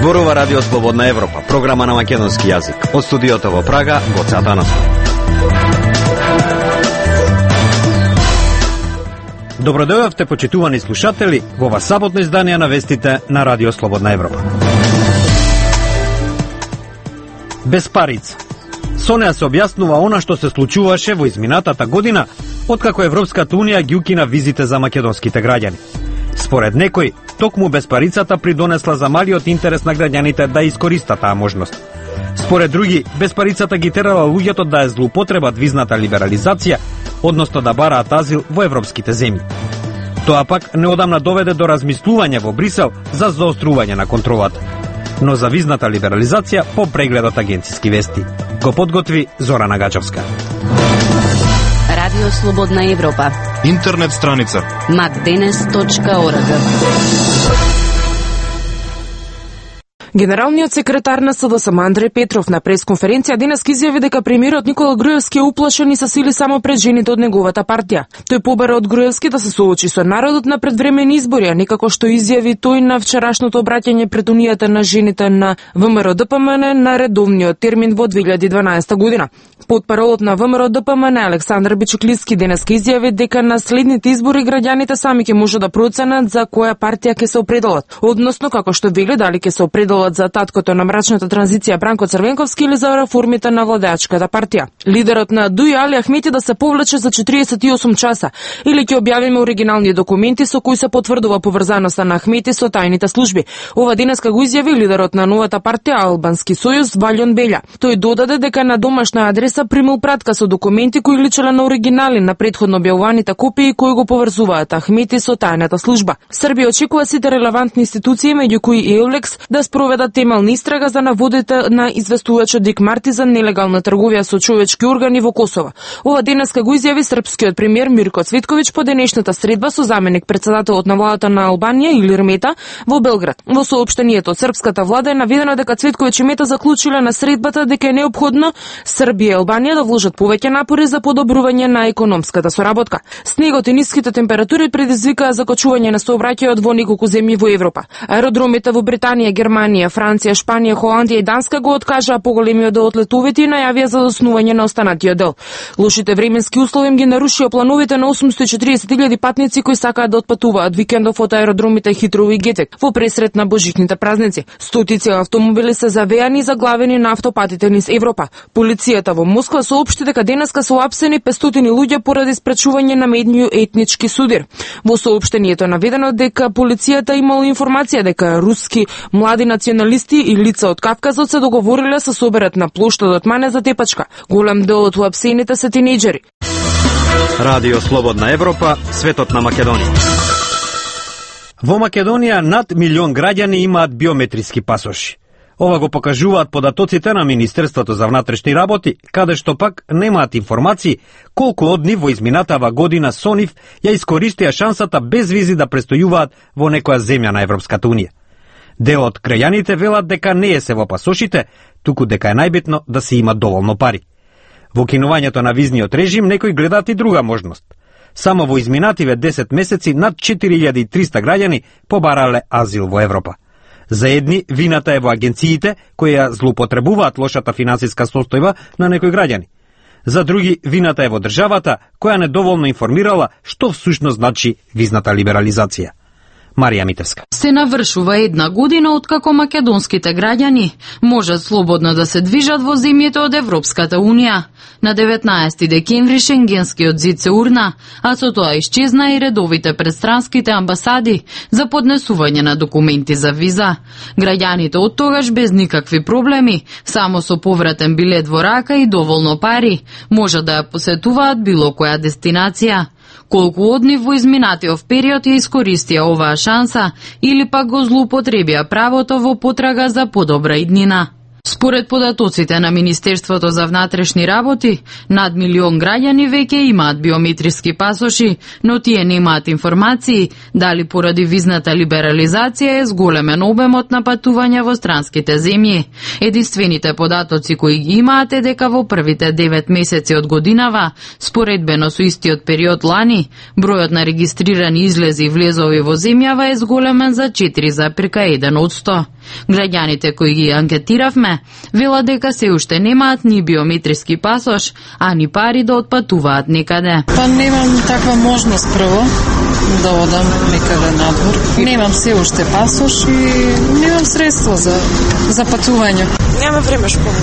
Зборува Радио Слободна Европа, програма на македонски јазик. Од студиото во Прага, Гоце Атанасов. Добродојавте, почитувани слушатели, во ова саботно издание на вестите на Радио Слободна Европа. Без парица. Со неа се објаснува она што се случуваше во изминатата година, откако Европската Унија ги укина визите за македонските граѓани. Според некои, токму безпарицата придонесла за малиот интерес на граѓаните да искористат таа можност. Според други, безпарицата ги терала луѓето да ја злоупотребат визната либерализација, односно да бараат азил во европските земји. Тоа пак неодамна доведе до размислување во Брисел за заострување на контролата. Но за визната либерализација по прегледот агенциски вести. Го подготви Зорана Гаџовска. Радио Слободна Европа. Интернет страница macdenes.org. Генералниот секретар на СДСМ Андреј Петров на пресконференција денес изјави дека премиерот Никола Груевски е уплашен и са сили само пред жените од неговата партија. Тој побара од Груевски да се соочи со народот на предвремени избори, а некако што изјави тој на вчерашното обраќање пред Унијата на жените на ВМРО ДПМН на редовниот термин во 2012 година. Потпаролот на ВМРО ДПМН Александар Бичуклиски денес изјави дека на следните избори граѓаните сами ќе може да проценат за која партија ќе се определат, односно како што вели дали ќе се определат за таткото на мрачната транзиција Бранко Црвенковски или за реформите на владеачката партија. Лидерот на ДУИ Али Ахмети да се повлече за 48 часа или ќе објавиме оригинални документи со кои се потврдува поврзаноста на Ахмети со тајните служби. Ова денеска го изјави лидерот на новата партија Албански сојуз Валјон Белја. Тој додаде дека на домашна адреса примил пратка со документи кои личеле на оригинали на претходно објавуваните копии кои го поврзуваат Ахмети со тајната служба. Србија очекува сите релевантни институции, меѓу кои и ЕУЛЕКС, да спроведат темална истрага за наводите на известувачот Дик Марти за нелегална трговија со човечки органи во Косово. Ова денеска го изјави српскиот премиер Мирко Цветковиќ по денешната средба со заменик председателот на владата на Албанија Илир Мета во Белград. Во соопштението од српската влада е наведено дека Цветковиќ и Мета заклучиле на средбата дека е неопходно Србија и Албанија да вложат повеќе напори за подобрување на економската соработка. Снегот и ниските температури предизвикаа закочување на сообраќајот во неколку земји во Европа. Аеродромите во Британија, Германија, Франција, Шпанија, Холандија и Данска го откажаа поголемиот дел од летовите и најавија за заснување на останатиот дел. Лошите временски услови ги нарушија плановите на 840.000 патници кои сакаат да отпатуваат викендов од аеродромите Хитроу и Гетек во пресрет на божичните празници. Стотици автомобили се завеани и заглавени на автопатите низ Европа. Полицијата во Москва соопшти дека денеска се уапсени 500 луѓе поради спречување на медниот етнички судир. Во соопштението наведено дека полицијата имала информација дека руски млади националисти и лица од Кавказот се договориле со соберат на плоштадот Мане за тепачка. Голем дел од уапсените се тинејџери. Радио Слободна Европа, светот на Македонија. Во Македонија над 1 милион граѓани имаат биометриски пасоши. Ова го покажуваат податоците на Министерството за внатрешни работи, каде што пак немаат информации колку од нив во изминатава година со нив ја искористија шансата без визи да престојуваат во некоја земја на Европската Унија. Дел од крајаните велат дека не е се во пасошите, туку дека е најбитно да се има доволно пари. Во кинувањето на визниот режим некои гледаат и друга можност. Само во изминативе 10 месеци над 4300 граѓани побарале азил во Европа. За едни вината е во агенциите кои ја злоупотребуваат лошата финансиска состојба на некои граѓани. За други вината е во државата која недоволно информирала што всушност значи визната либерализација. Марија Митевска. Се навршува една година откако македонските граѓани можат слободно да се движат во земјите од Европската Унија. На 19 декември Шенгенскиот зид се урна, а со тоа исчезна и редовите предстранските амбасади за поднесување на документи за виза. Граѓаните од тогаш без никакви проблеми, само со повратен билет во рака и доволно пари, можат да ја посетуваат било која дестинација. Колку од нив во изминатиот период ја искористија оваа шанса или пак го злоупотребија правото во потрага за подобра иднина. Според податоците на Министерството за внатрешни работи, над милион граѓани веќе имаат биометриски пасоши, но тие немаат информации дали поради визната либерализација е зголемен обемот на патување во странските земји. Единствените податоци кои ги имаат е дека во првите 9 месеци од годинава, споредбено со истиот период лани, бројот на регистрирани излези и влезови во земјава е зголемен за 4,1%. Граѓаните кои ги анкетиравме велат дека се уште немаат ни биометриски пасош, а ни пари да отпатуваат некаде. Па немам таква можност прво да одам некаде надвор. Немам се уште пасош и немам средства за патување. Нема време школа.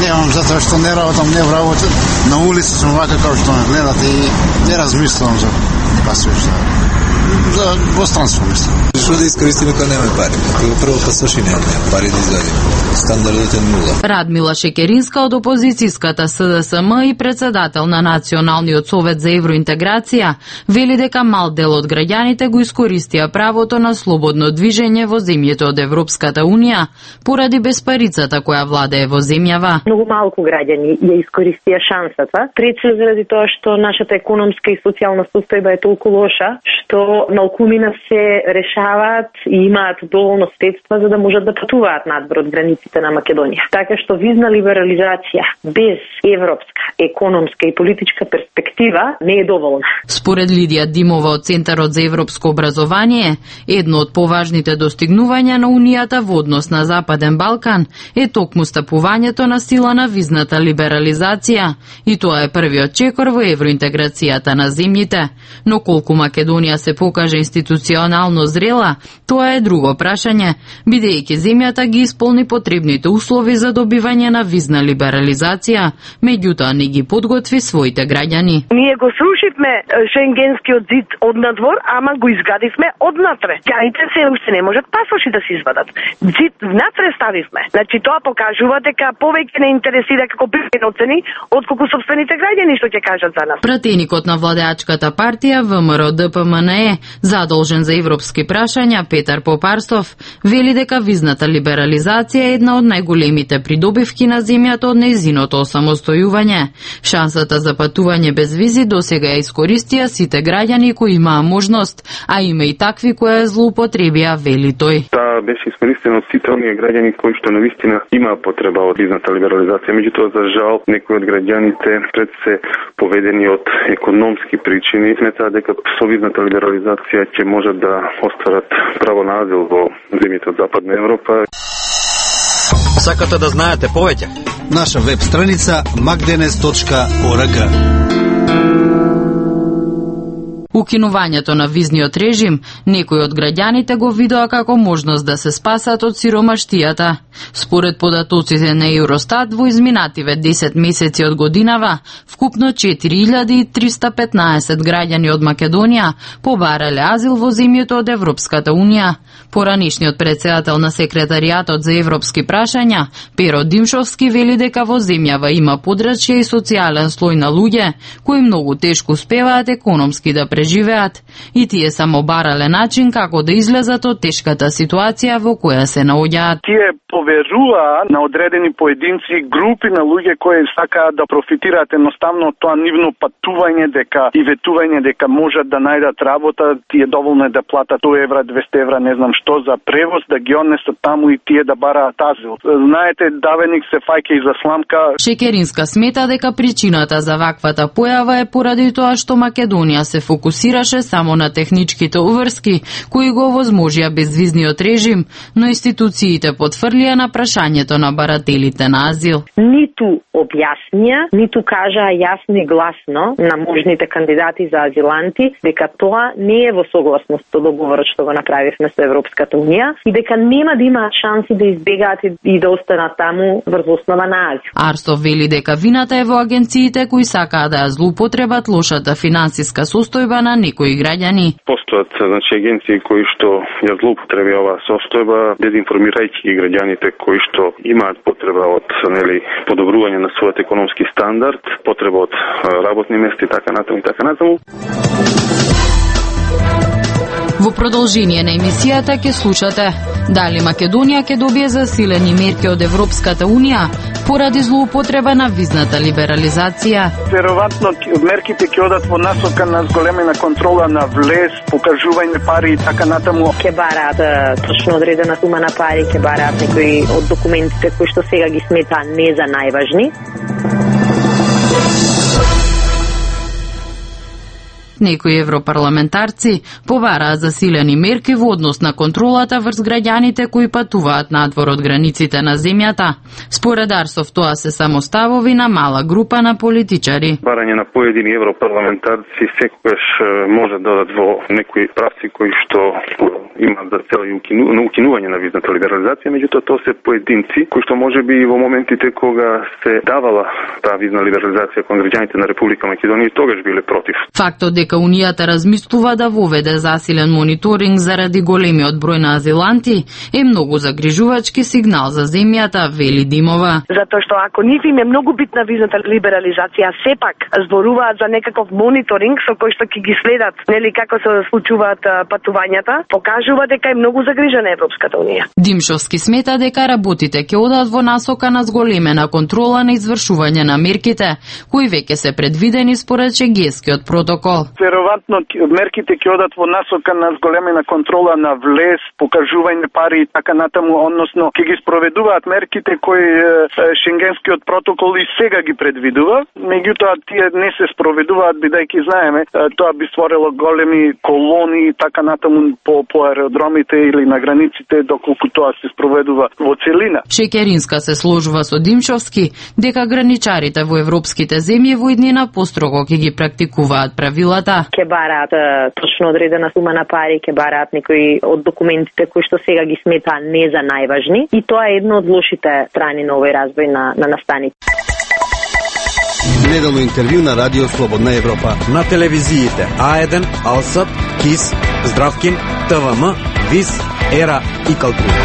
Немам затоа што не работам, не работам. На улица сум вака како што ме гледате и не размислувам за пасош. За двостранство мислам. Што да искористиме кога немаме пари? Кога прво пасоши немаме пари да извадиме. Стандардот е нула. Радмила Шекеринска од опозицијската СДСМ и председател на Националниот совет за евроинтеграција вели дека мал дел од граѓаните го искористија правото на слободно движење во земјите од Европската унија поради безпарицата која владее во земјава. Многу малку граѓани ја искористија шансата, прече заради тоа што нашата економска и социјална состојба е толку лоша што малкумина се решаваат и имаат доволно средства за да можат да патуваат надвор од границите на Македонија. Така што визна либерализација без европска, економска и политичка перспектива не е доволна. Според Лидија Димова од Центарот за европско образование, едно од поважните достигнувања на Унијата во однос на Западен Балкан е токму стапувањето на сила на визната либерализација и тоа е првиот чекор во евроинтеграцијата на земјите. Но колку Македонија се покаже институционално зрела, тоа е друго прашање, бидејќи земјата ги исполни потребните услови за добивање на визна либерализација, меѓутоа не ги подготви своите граѓани. Ние го срушивме шенгенскиот зид од надвор, ама го изградивме однатре. Граѓаните се уште не можат пасоши да се извадат. Зид внатре ставивме. Значи тоа покажува дека повеќе не интересира како приноцени отколку сопствените граѓани што ќе кажат за нас. Пратеникот на владеачката партија ВМРО ДПМНЕ, задолжен за европски прашања Петар Попарстов, вели дека визната либерализација е една од најголемите придобивки на земјата од нејзиното осамостојување. Шансата за патување без визи досега ја искористија сите граѓани кои имаа можност, а има и такви кои ја злоупотребија, вели тој. Таа беше искористена од сите оние граѓани кои што навистина имаа потреба од визната либерализација, меѓутоа за жал некои од граѓаните пред се поведени од економски причини сметаат дека со визната либерализација ќе можат да остварат право на азил во земјите од Западна Европа. Сакате да знаете повеќе? Наша веб страница magdenes.org. Укинувањето на визниот режим, некои од граѓаните го видоа како можност да се спасат од сиромаштијата. Според податоците на Евростат, во изминативе 10 месеци од годинава, вкупно 4315 граѓани од Македонија побарале азил во земјите од Европската унија. Поранишниот председател на секретаријатот за европски прашања, Перо Димшовски, вели дека во земјава има подрачје и социјален слој на луѓе кои многу тешко успеваат економски да преживеат и тие само барале начин како да излезат од тешката ситуација во која се наоѓаат. Тие поверуваат на одредени поединци и групи на луѓе кои сакаат да профитираат едноставно од тоа нивно патување и ветување дека можат да најдат работа, тие доволно е да платат 100 евра, 200 евра, не знам што за превоз, да ги однесат таму и тие да бараат азил. Знаете, давеник се фаќа и за сламка. Шекеринска смета дека причината за ваквата појава е поради тоа што Македонија се фокусираше само на техничките уврски кои го возможија безвизниот режим, но институциите потврлија на прашањето на барателите на азил. Ниту објаснија, ниту кажаа јасно и гласно на можните кандидати за азиланти дека тоа не е во согласност со договорот што го направивме со Европската унија и дека нема да имаат шанси да избегаат и да останат таму врз основа на азил. Арстов вели дека вината е во агенциите кои сакаат да ја злоупотребат лошата финансиска состојба на некои граѓани. Постојат агенции кои што ја злоупотребија оваа состојба, дезинформирајќи ги граѓаните кои што имаат потреба од подобрување на својот економски стандард, потреба од работни места и така натаму и така натаму. Во продолжение на емисијата ќе слушате дали Македонија ќе добие засилени мерки од Европската Унија поради злоупотреба на визната либерализација. Веројатно мерките ќе одат во насока на зголемена контрола на влез, покажување пари и така натаму. Ќе бараат точно одредена сума на пари, ќе бараат некои од документите кои што сега ги смета не за најважни. Некои европарламентарци побараат засилени мерки во однос на контролата врз граѓаните кои патуваат надвор од границите на земјата. Според Арсов тоа се само ставови на мала група на политичари. Барање на поедини европарламентарци секогаш може да дадат во некои правци кои што имаат за цел укинување на визната либерализација, меѓутоа тоа се поединци кои што можеби и во моментите кога се давала таа визна либерализација кон граѓаните на Република Македонија тогаш биле против. Фактот дека Унијата размислува да воведе засилен мониторинг заради големиот број на азиланти е многу загрижувачки сигнал за земјата, вели Димова. Затоа што ако нив им е многу битна визната либерализација, сепак зборуваат за некаков мониторинг со кој што ќе ги следат, нели како се случуваат патувањата, покажува дека е многу загрижена Европската Унија. Димшовски смета дека работите ќе одат во насока на зголемена контрола на извршување на мерките, кои веќе се предвидени според Шенгенскиот протокол. Веројатно мерките ќе одат во насока на зголемена контрола на влез, покажување пари и така натаму, односно ќе ги спроведуваат мерките кои Шенгенскиот протокол и сега ги предвидува, меѓутоа тие не се спроведуваат бидејќи знаеме тоа би створило големи колони и така натаму по аеродромите или на границите доколку тоа се спроведува во целина. Шекеринска се сложува со Димшовски дека граничарите во европските земји во иднина построго ќе ги практикуваат правилата. Ќе бараат точно одредена сума на пари, ќе бараат некои од документите кои што сега ги смета не за најважни и тоа е едно од лошите страни на овој развој на настаните. Неделно интервју на Радио Слободна Европа. На телевизиите А1, Алсат, КИС, Здравкин, ТВМ, ВИС, ЕРА и Калтура.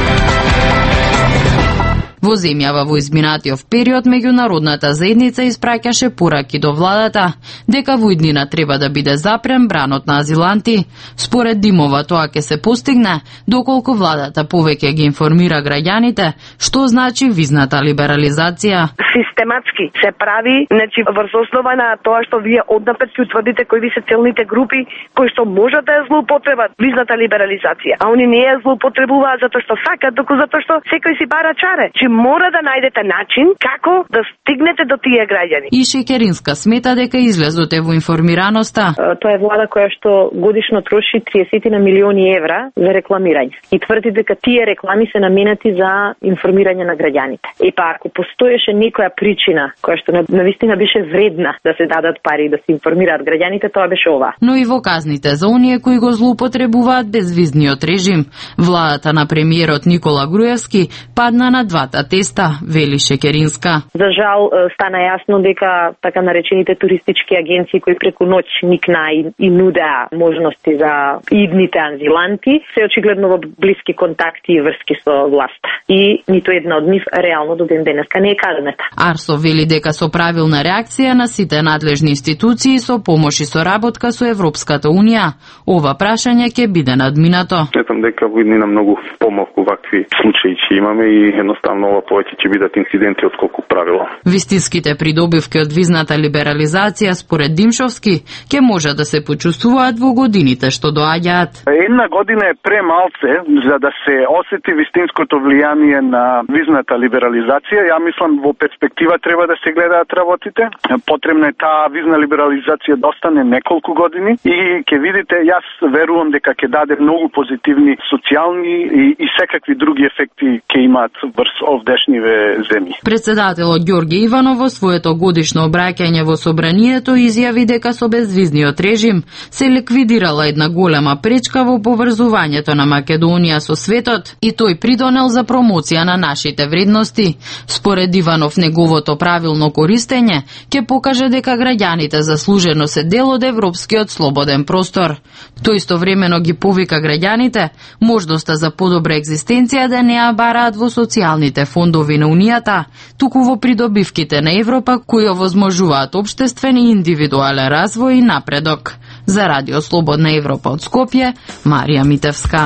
Во земјава во изминатиот период меѓународната заедница испраќаше пораки до владата дека во иднина треба да биде запрен бранот на азиланти. Според Димова тоа ќе се постигне доколку владата повеќе ги информира граѓаните што значи визната либерализација. Систематски се прави, значи врз основа на тоа што вие однапред ќе утврдите кои ви се целните групи кои што можат да ја злоупотребат визната либерализација, а они не ја злоупотребуваат затоа што сакат, туку затоа што секој си бара чаре. Мора да најдете начин како да стигнете до тие граѓани. И Шекеринска смета дека излезоте во информираноста. Тоа е влада која што годишно троши 30 милиони евра за рекламирање. И тврди дека тие реклами се наменати за информирање на граѓаните. Па ако постоеше некоја причина која што навистина беше вредна да се дадат пари да се информираат граѓаните, тоа беше ова. Но и во казните за оние кои го злоупотребуваат безвизниот режим. Владата на премиерот Никола Груевски падна на двата теста, вели Шекеринска. За жал стана јасно дека така наречените туристички агенции кои преку ноќ никна и нудеа можности за идните азиланти се очигледно во блиски контакти и врски со власта. И ниту една од нив реално до ден денеска не е казнета. Арсов вели дека со правилна реакција на сите надлежни институции со помош и соработка со Европската Унија, ова прашање ќе биде надминато. Сметам дека во иднина многу помалку вакви случаи ќе имаме и едноставно ова повеќе ќе бидат инциденти отколку правило. Вистинските придобивки од визната либерализација според Димшовски ќе може да се почувствуваат во годините што доаѓаат. Една година е премалце за да се осети вистинското влијание на визната либерализација. Ја мислам во перспектива треба да се гледаат работите. Потребна е таа визна либерализација да остане неколку години и ќе видите, јас верувам дека ќе даде многу позитивни социјални и секакви други ефекти ќе имаат врз овдешниве земји. Председателот Ѓорѓе Иванов во своето годишно обраќање во собранието изјави дека со безвизниот режим се ликвидирала една голема пречка во поврзувањето на Македонија со светот и тој придонел за промоција на нашите вредности. Според Иванов, неговото правилно користење ќе покаже дека граѓаните заслужено се дел од европскиот слободен простор. Тој истовремено ги повика граѓаните можноста за подобра екзистенција да не ја бараат во социјалните фондови на Унијата, туку во придобивките на Европа кои овозможуваат општествен и индивидуален развој и напредок. За Радио Слободна Европа од Скопје, Марија Митевска.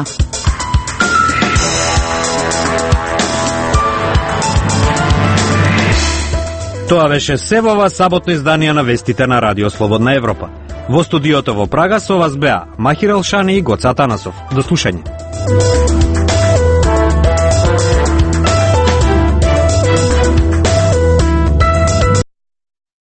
Тоа беше се во ова саботно издание на вестите на Радио Слободна Европа. Во студиото во Прага со вас беа Махир Елшани и Гоца Атанасов. До слушање.